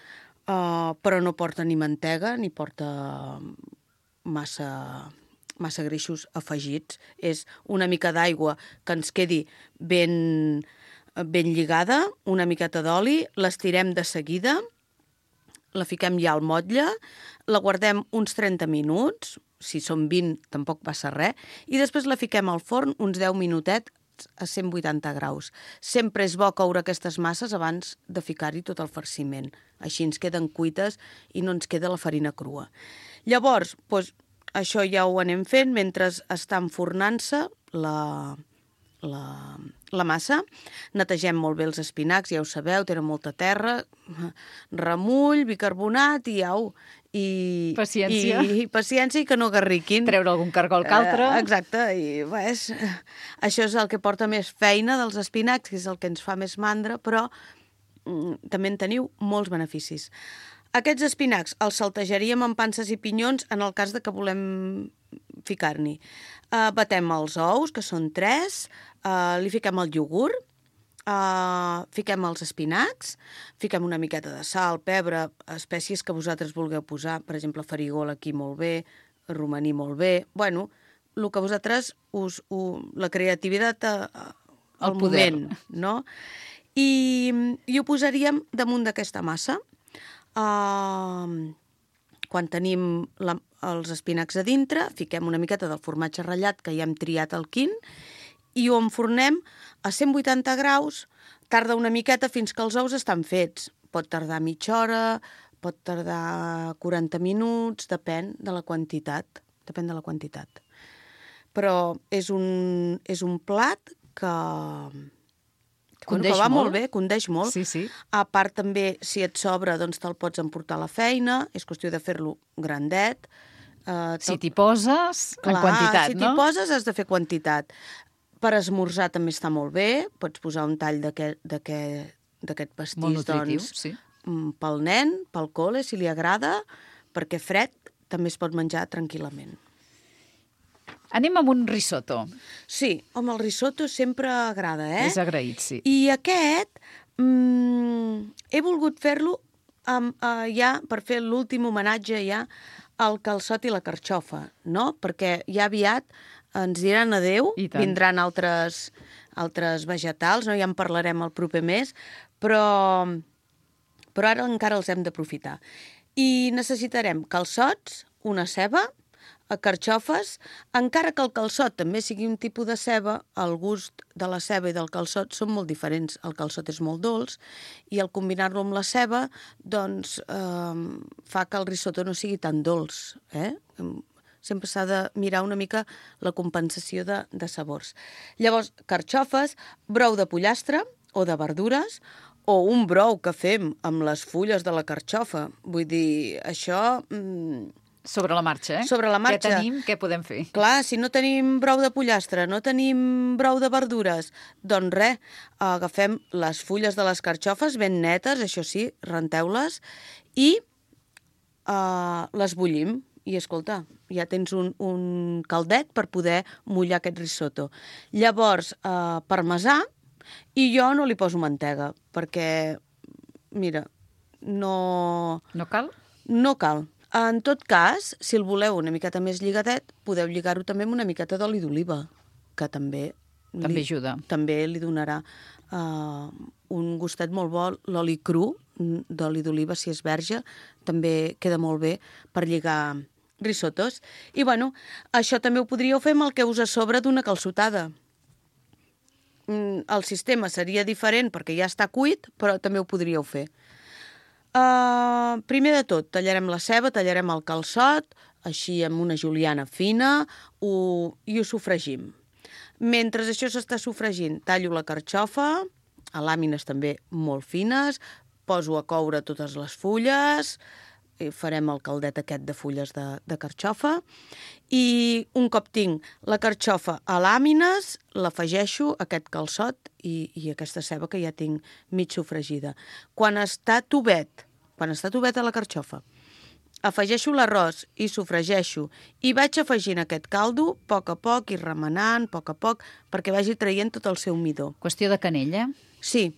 però no porta ni mantega ni porta massa greixos afegits. És una mica d'aigua que ens quedi ben lligada, una miqueta d'oli, l'estirem de seguida, la fiquem ja al motlle, la guardem uns 30 minuts, si són 20 tampoc passa res, i després la fiquem al forn uns 10 minutets a 180 graus. Sempre és bo coure aquestes masses abans de ficar-hi tot el farciment. Així ens queden cuites i no ens queda la farina crua. Llavors, doncs, això ja ho anem fent mentre està enfornant-se la massa. Netegem molt bé els espinacs, ja ho sabeu, tenen molta terra, remull, bicarbonat i au. I paciència. I paciència i que no garriquin. Treure algun cargol que altre. Exacte, i això és el que porta més feina dels espinacs, que és el que ens fa més mandra, però també en teniu molts beneficis. Aquests espinacs els saltejaríem amb panses i pinyons en el cas de que volem ficar-n'hi. Batem els ous, que són 3, li fiquem el iogurt, fiquem els espinacs, fiquem una miqueta de sal, pebre, espècies que vosaltres vulgueu posar, per exemple, farigola aquí molt bé, romaní molt bé, bueno, el que vosaltres la creativitat al moment, no? I ho posaríem damunt d'aquesta massa. Quan tenim els espinacs a dintre, fiquem una miqueta del formatge ratllat que ja hem triat al quin i ho enfornem a 180 graus, tarda una miqueta fins que els ous estan fets. Pot tardar mitja hora, pot tardar 40 minuts, depèn de la quantitat depèn de la quantitat. Però és un plat que Condeix va molt. molt bé, condeix molt. Sí, sí. A part també, si et sobra, doncs te'l pots emportar a la feina, és qüestió de fer-lo grandet. Si t'hi poses, en quantitat, si no? t'hi poses has de fer quantitat. Per esmorzar també està molt bé, pots posar un tall d'aquest pastís, Molt nutritiu, doncs, sí. pel nen, pel col·le, si li agrada, perquè fred també es pot menjar tranquil·lament. Anem amb un risotto. Sí, home, el risotto sempre agrada, eh? És agraït, sí. I aquest he volgut fer-lo ja per fer l'últim homenatge ja al calçot i la carxofa, no? Perquè ja aviat ens diran adéu, I tant. vindran altres vegetals, no? Ja en parlarem el proper mes, però ara encara els hem d'aprofitar. I necessitarem calçots, una ceba, carxofes, encara que el calçot també sigui un tipus de ceba, el gust de la ceba i del calçot són molt diferents. El calçot és molt dolç i al combinar-lo amb la ceba doncs, fa que el risotto no sigui tan dolç. Sempre s'ha de mirar una mica la compensació de sabors. Llavors, carxofes, brou de pollastre o de verdures, o un brou que fem amb les fulles de la carxofa. Vull dir, això... Sobre la marxa, eh? Sobre la marxa. Què tenim, què podem fer? Clar, si no tenim brou de pollastre, no tenim brou de verdures, doncs res, agafem les fulles de les carxofes ben netes, això sí, renteu-les, i les bullim. I, escolta, ja tens un caldet per poder mullar aquest risotto. Llavors, parmesà, i jo no li poso mantega, perquè, mira, no... No cal? No cal. En tot cas, si el voleu una miqueta més lligadet, podeu lligar-ho també amb una miqueta d'oli d'oliva, que també ajuda. També li donarà un gustet molt bo. L'oli cru d'oli d'oliva, si és verge, també queda molt bé per lligar risottos. I, bueno, això també ho podríeu fer amb el que us a sobre d'una calçotada. El sistema seria diferent perquè ja està cuit, però també ho podríeu fer. Primer de tot, tallarem la ceba, tallarem el calçot, així amb una juliana fina, i ho sofregim. Mentre això s'està sofregint, tallo la carxofa, a làmines també molt fines, poso a coure totes les fulles, farem el caldet aquest de fulles de carxofa, i un cop tinc la carxofa a làmines, l'afegeixo aquest calçot i aquesta ceba que ja tinc mig sofregida. Quan està tovet a la carxofa, afegeixo l'arròs i sofregeixo i vaig afegint aquest caldo a poc i remenant a poc perquè vagi traient tot el seu midó. Qüestió de canella? Sí.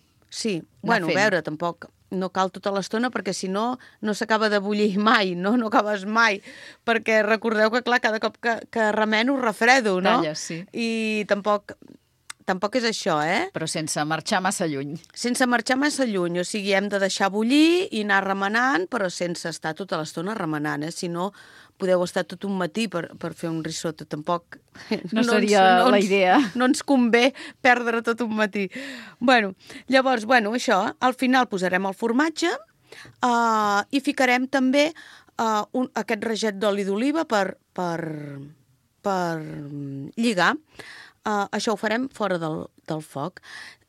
Bueno, a veure, tampoc no cal tota l'estona perquè si no, no s'acaba de bullir mai, no acabes mai, perquè recordeu que, clar, cada cop que remeno refredo, no? Talles, sí. I tampoc és això, eh? Però sense marxar massa lluny. Sense marxar massa lluny, o sigui, hem de deixar bullir i anar remenant, però sense estar tota l'estona remenant, Si no, podeu estar tot un matí per fer un risotto. Tampoc... No seria la idea. No ens convé perdre tot un matí. Llavors, això, al final posarem el formatge i ficarem també aquest raget d'oli d'oliva per lligar. Això ho farem fora del foc.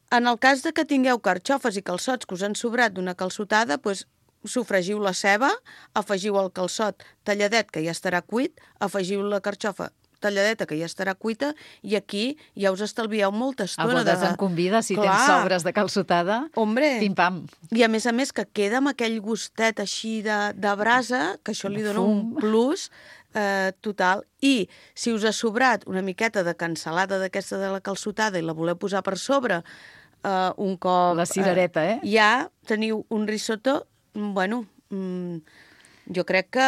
En el cas que tingueu carxofes i calçots que us han sobrat d'una calçotada, doncs sofregiu la ceba, afegiu el calçot talladet, que ja estarà cuit, afegiu la carxofa talladeta, que ja estarà cuita, i aquí ja us estalvieu molta estona. A bodes en convida, si tens sobres de calçotada, pim-pam. I a més que queda amb aquell gustet així de brasa, que això li dona un plus total. I si us ha sobrat una miqueta de cansalada d'aquesta de la calçotada i la voleu posar per sobre un cop... La cirereta, ja teniu un risotto, jo crec que...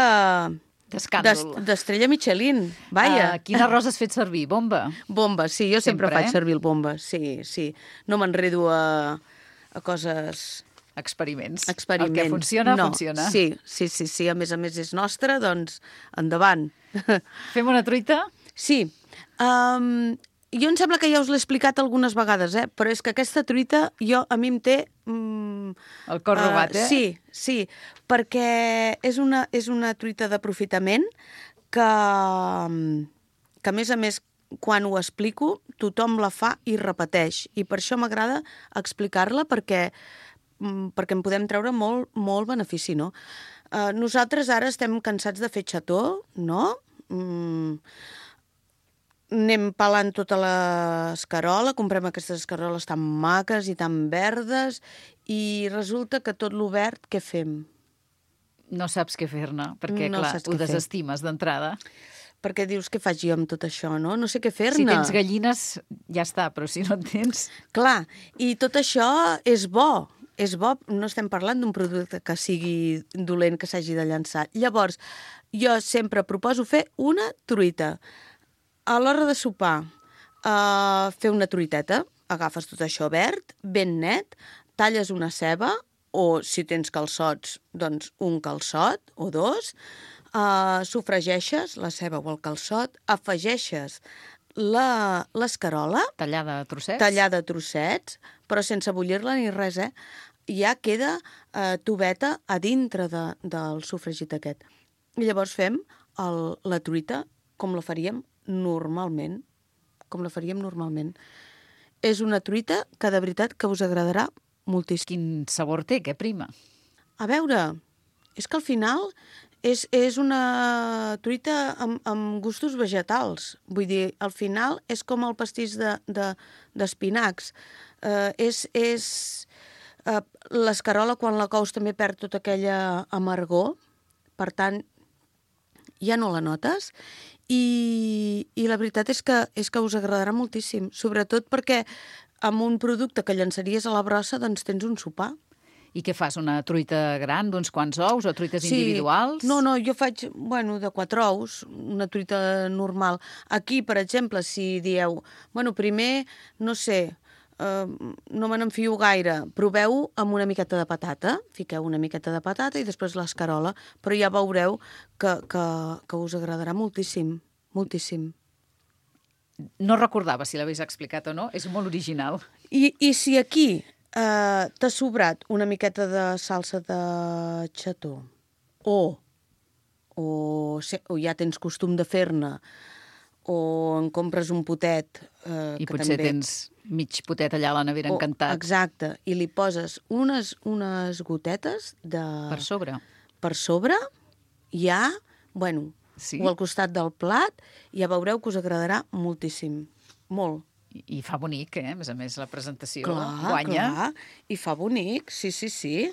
D'estrella Michelin, vaja. Quin arròs has fet servir? Bomba? Bomba, sí, jo sempre faig servir el bomba, sí. No m'enredo a coses... Experiments. El que funciona, funciona. Sí, a més és nostre, doncs endavant. Fem una truita? Sí. Jo em sembla que ja us l'he explicat algunes vegades, però és que aquesta truita a mi em té... El cor robat, Sí, perquè és una truita d'aprofitament que a més a més, quan ho explico, tothom la fa i repeteix. I per això m'agrada explicar-la perquè en podem treure molt benefici, no? Nosaltres ara estem cansats de fer xató, no? Anem pelant tota l'escarola, comprem aquestes escaroles tan maques i tan verdes i resulta que tot lo verd, què fem? No saps què fer-ne, perquè, No clar, saps ho què fer. desestimes d'entrada. Perquè dius, què faig jo amb tot això, no? No sé què fer-ne. Si tens gallines, ja està, però si no en tens... Clar, i tot això és bo. És bo, no estem parlant d'un producte que sigui dolent, que s'hagi de llançar. Llavors, jo sempre proposo fer una truita. A l'hora de sopar, fer una truiteta, agafes tot això verd, ben net, talles una ceba, o si tens calçots, doncs un calçot o dos, sofregeixes la ceba o el calçot, afegeixes l'escarola, Tallada a trossets? tallada a trossets, però sense bullir-la ni res, ja queda tubeta a dintre del sofregit aquest. I llavors fem la truita com la faríem normalment. Com la faríem normalment. És una truita que de veritat que us agradarà moltíssim. Quin sabor té, què prima? A veure, és que al final és una truita amb gustos vegetals. Vull dir, al final és com el pastís d'espinacs. L'escarola, quan la cous, també perd tota aquella amargor. Per tant, ja no la notes. I la veritat és que us agradarà moltíssim. Sobretot perquè amb un producte que llançaries a la brossa, doncs tens un sopar. I què fas, una truita gran d'uns quants ous o truites individuals? No, jo faig, de 4 ous, una truita normal. Aquí, per exemple, si dieu, primer, no sé, no me n'enfio gaire, proveu amb una miqueta de patata, fiqueu una miqueta de patata i després l'escarola, però ja veureu que us agradarà moltíssim, moltíssim. No recordava si l'havies explicat o no, és molt original. I si aquí t'ha sobrat una miqueta de salsa de xató o ja tens costum de fer-ne o en compres un potet I que potser també... tens mig potet allà a la nevera encantat. Exacte, i li poses unes gotetes de... Per sobre. Per sobre, ja, Sí? o al costat del plat, ja veureu que us agradarà moltíssim. Molt. I fa bonic, a més a més, la presentació Clar, guanya. clar, i fa bonic, sí.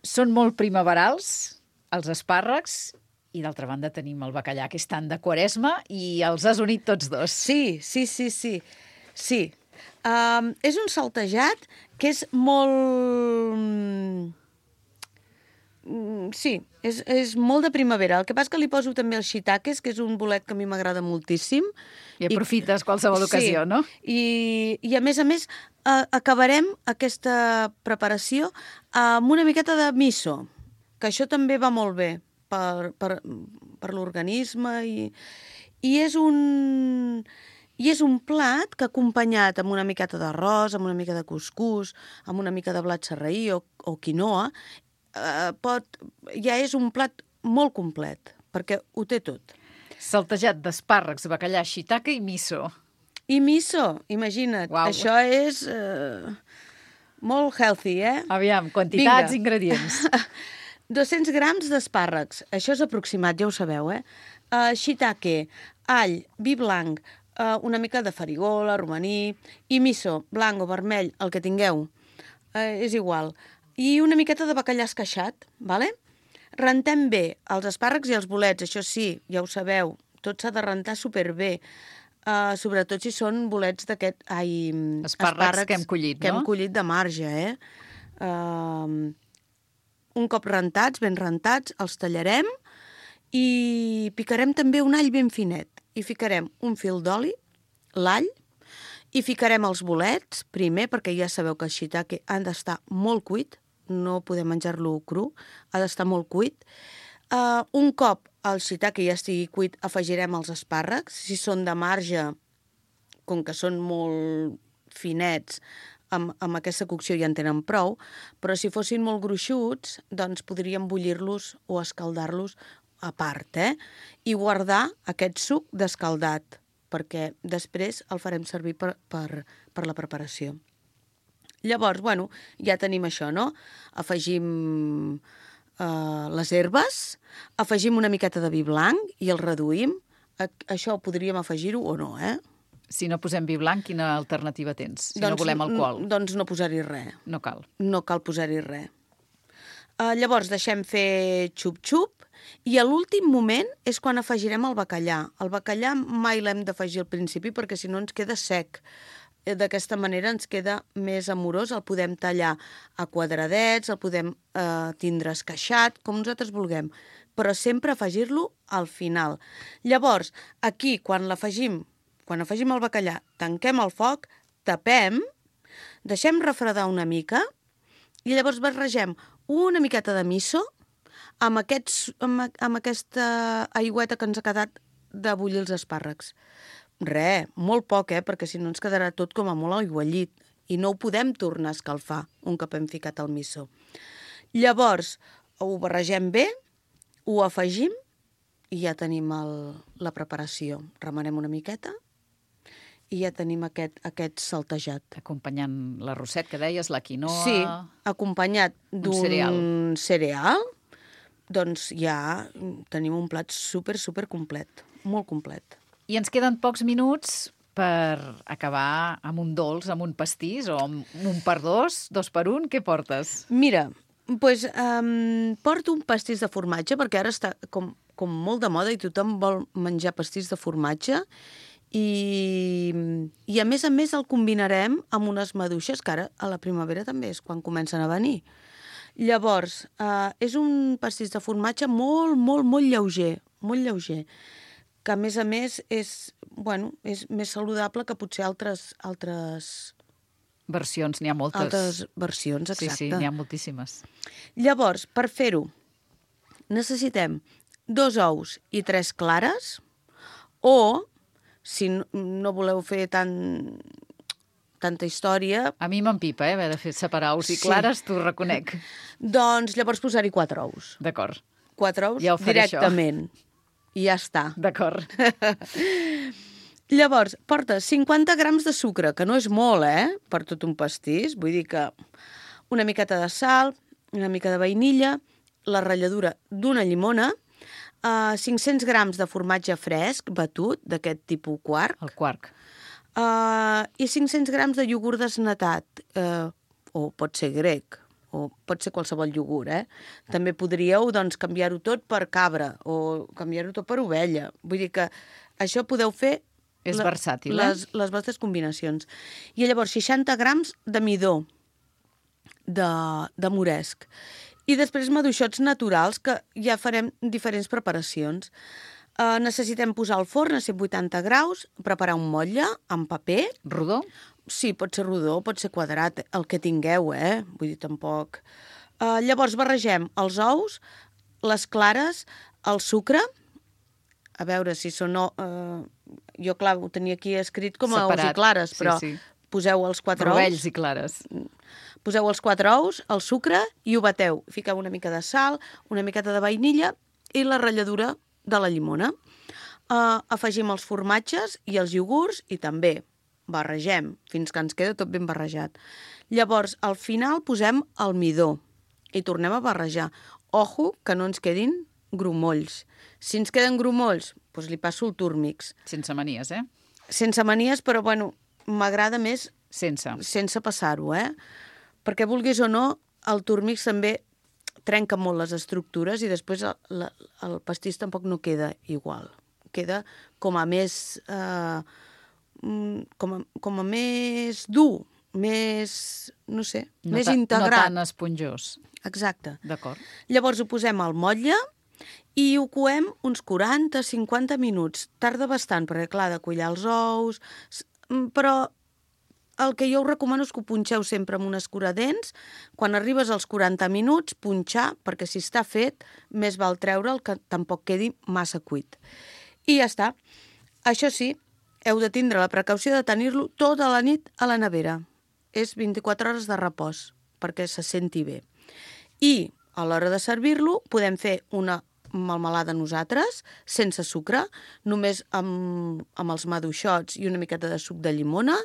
Són molt primaverals, els espàrrecs, i d'altra banda tenim el bacallà, que és tant de Quaresma, i els has unit tots dos. Sí. És un saltejat que és molt... Sí, és molt de primavera. El que passa és que li poso també els shiitakes, que és un bolet que a mi m'agrada moltíssim. I aprofites qualsevol ocasió, no? I a més, acabarem aquesta preparació amb una miqueta de miso, que això també va molt bé per l'organisme i és un plat que acompanyat amb una miqueta d'arròs, amb una mica de cuscús, amb una mica de blat sarraí o quinoa, ja és un plat molt complet, perquè ho té tot. Saltejat d'espàrrecs, bacallà, shiitake i miso. I miso, imagina't. Uau. Això és molt healthy, Aviam, quantitats, Vinga. ingredients. 200 grams d'espàrrecs, això és aproximat, ja ho sabeu, shiitake, all, vi blanc, una mica de farigola, romaní, i miso, blanc o vermell, el que tingueu, és igual. I una miqueta de bacallà esqueixat, vale? Rentem bé els espàrrecs i els bolets, això sí, ja ho sabeu, tot s'ha de rentar superbé, sobretot si són bolets d'aquest... Espàrrecs que hem collit, que no? hem collit de marge, un cop rentats, ben rentats, els tallarem i picarem també un all ben finet. I ficarem un fil d'oli, l'all, i ficarem els bolets, primer, perquè ja sabeu que el shiitake han d'estar molt cuit, no podem menjar-lo cru, ha d'estar molt cuit. Un cop el shiitake ja estigui cuit, afegirem els espàrrecs. Si són de marge, com que són molt finets, amb aquesta cocció ja en tenen prou, però si fossin molt gruixuts, doncs podríem bullir-los o escaldar-los a part, i guardar aquest suc descaldat, perquè després el farem servir per la preparació. Llavors, bueno, ja tenim això, no? Afegim les herbes, afegim una miqueta de vi blanc i el reduïm. Això podríem afegir-ho o no, Si no posem vi blanc, quina alternativa tens? Si no volem alcohol. Doncs no posar-hi res. No cal. No cal posar-hi res. Llavors deixem fer xup-xup i a l'últim moment és quan afegirem el bacallà. El bacallà mai l'hem d'afegir al principi perquè si no ens queda sec. D'aquesta manera ens queda més amorós, el podem tallar a quadradets, el podem tindre esqueixat, com nosaltres vulguem, però sempre afegir-lo al final. Llavors, aquí, quan afegim el bacallà, tanquem el foc, tapem, deixem refredar una mica i llavors barregem una miqueta de miso amb aquesta aigüeta que ens ha quedat de bullir els espàrrecs. Molt poc, perquè si no ens quedarà tot com a molt aiguallit i no ho podem tornar a escalfar un cop hem ficat el miso. Llavors, ho barregem bé, ho afegim i ja tenim la preparació. Remenem una miqueta i ja tenim aquest saltejat. Acompanyant l'arrosset que deies, la quinoa... Sí, acompanyat d'un cereal, doncs ja tenim un plat super complet, molt complet. I ens queden pocs minuts per acabar amb un dolç, amb un pastís o amb un per dos, 2 per 1. Què portes? Mira, doncs porto un pastís de formatge perquè ara està com molt de moda i tothom vol menjar pastís de formatge i a més el combinarem amb unes maduixes que ara a la primavera també és quan comencen a venir. Llavors, és un pastís de formatge molt lleuger, que a més és més saludable que potser altres versions, n'hi ha moltes. Altres versions, exacte. Sí, n'hi ha moltíssimes. Llavors, per fer-ho, necessitem 2 ous i 3 clares, o, si no voleu fer tanta història... A mi m'empipa, haver de fer separar ous i clares, t'ho reconec. Doncs llavors posar-hi 4 ous. D'acord. 4 ous ja directament. Això. I ja està. D'acord. Llavors, porta 50 grams de sucre, que no és molt, per tot un pastís. Vull dir que una miqueta de sal, una mica de vainilla, la ratlladura d'una llimona, 500 grams de formatge fresc, batut, d'aquest tipus quark. El quark. I 500 grams de iogurt desnatat, o pot ser grec, o pot ser qualsevol iogurt, També podríeu, doncs, canviar-ho tot per cabra o canviar-ho tot per ovella. Vull dir que això podeu fer... És versàtil, les vostres combinacions. I llavors 60 grams de midó de moresc. I després maduixots naturals, que ja farem diferents preparacions. Necessitem posar al forn a 180 graus, preparar un motlle amb paper. Rodó? Sí, pot ser rodó, pot ser quadrat, el que tingueu, Vull dir, tampoc. Llavors barregem els ous, les clares, el sucre, a veure si són... jo, clar, ho tenia aquí escrit com a ous i clares, però poseu els 4 ous. Rovells i clares. Poseu els 4 ous, el sucre, i ho bateu. Fiqueu una mica de sal, una miqueta de vainilla i la ratlladura de la llimona. Afegim els formatges i els iogurts i també barregem fins que ens queda tot ben barrejat. Llavors, al final posem el midó i tornem a barrejar. Ojo, que no ens quedin grumolls. Si ens queden grumolls, doncs li passo el túrmix. Sense manies, Sense manies, però, bueno, m'agrada més sense passar-ho, Perquè, vulguis o no, el túrmix també trenca molt les estructures i després el pastís tampoc no queda igual. Queda com a més... com a més dur, més, no sé, més integrat. No tan esponjós. Exacte. D'acord. Llavors ho posem al motlle i ho coem uns 40-50 minuts. Tarda bastant, perquè clar, de collar els ous, però el que jo us recomano és que ho punxeu sempre amb un escuradents. Quan arribes als 40 minuts, punxar, perquè si està fet, més val treure'l que tampoc quedi massa cuit. I ja està. Això sí, heu de tindre la precaució de tenir-lo tota la nit a la nevera. És 24 hores de repòs, perquè se senti bé. I a l'hora de servir-lo podem fer una melmelada nosaltres, sense sucre, només amb els maduixots i una miqueta de suc de llimona,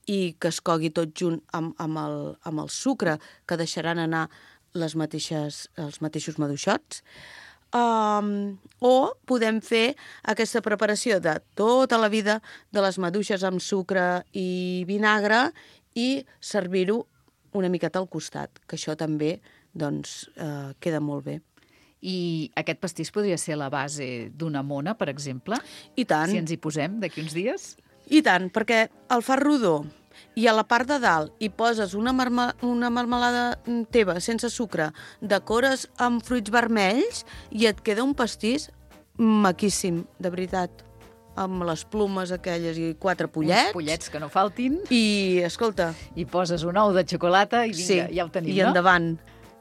i que es cogui tot junt amb el sucre, que deixaran anar els mateixos maduixots. O podem fer aquesta preparació de tota la vida de les maduixes amb sucre i vinagre i servir-ho una miqueta al costat, que això també queda molt bé. I aquest pastís podria ser la base d'una mona, per exemple? I tant. Si ens hi posem d'aquí uns dies? I tant, perquè el fas rodó i a la part de dalt hi poses una marmelada teva sense sucre, decores amb fruits vermells i et queda un pastís maquíssim, de veritat, amb les plumes aquelles i 4 pollets. Uns pollets que no faltin. I, escolta... I poses un ou de xocolata i vinga, ja ho tenim, i endavant.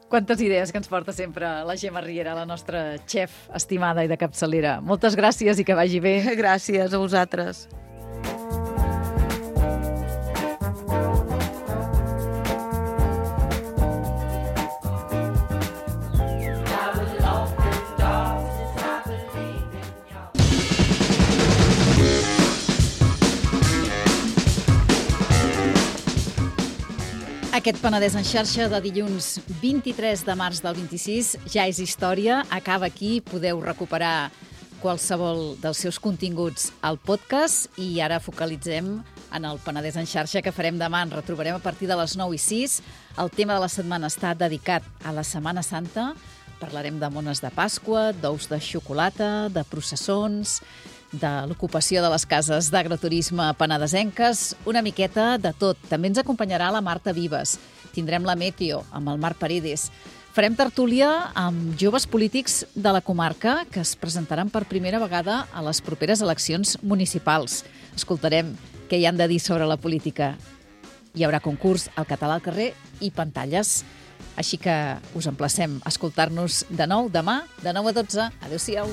Quantes idees que ens porta sempre la Gemma Riera, la nostra xef estimada i de capçalera. Moltes gràcies i que vagi bé. Gràcies a vosaltres. Aquest Penedès en xarxa de dilluns 23 de març del 26 ja és història, acaba aquí, podeu recuperar qualsevol dels seus continguts al podcast i ara focalitzem en el Penedès en xarxa que farem demà. Ens retrobarem a partir de les 9:06. El tema de la setmana està dedicat a la Setmana Santa. Parlarem de mones de Pasqua, d'ous de xocolata, de processons, de l'ocupació de les cases d'agroturisme penedesenques, una miqueta de tot. També ens acompanyarà la Marta Vives. Tindrem la Meteo amb el Marc Paredes. Farem tertúlia amb joves polítics de la comarca que es presentaran per primera vegada a les properes eleccions municipals. Escoltarem què hi han de dir sobre la política. Hi haurà concurs al català al carrer i pantalles. Així que us emplacem a escoltar-nos de nou demà, de 9 a 12. Adéu-siau.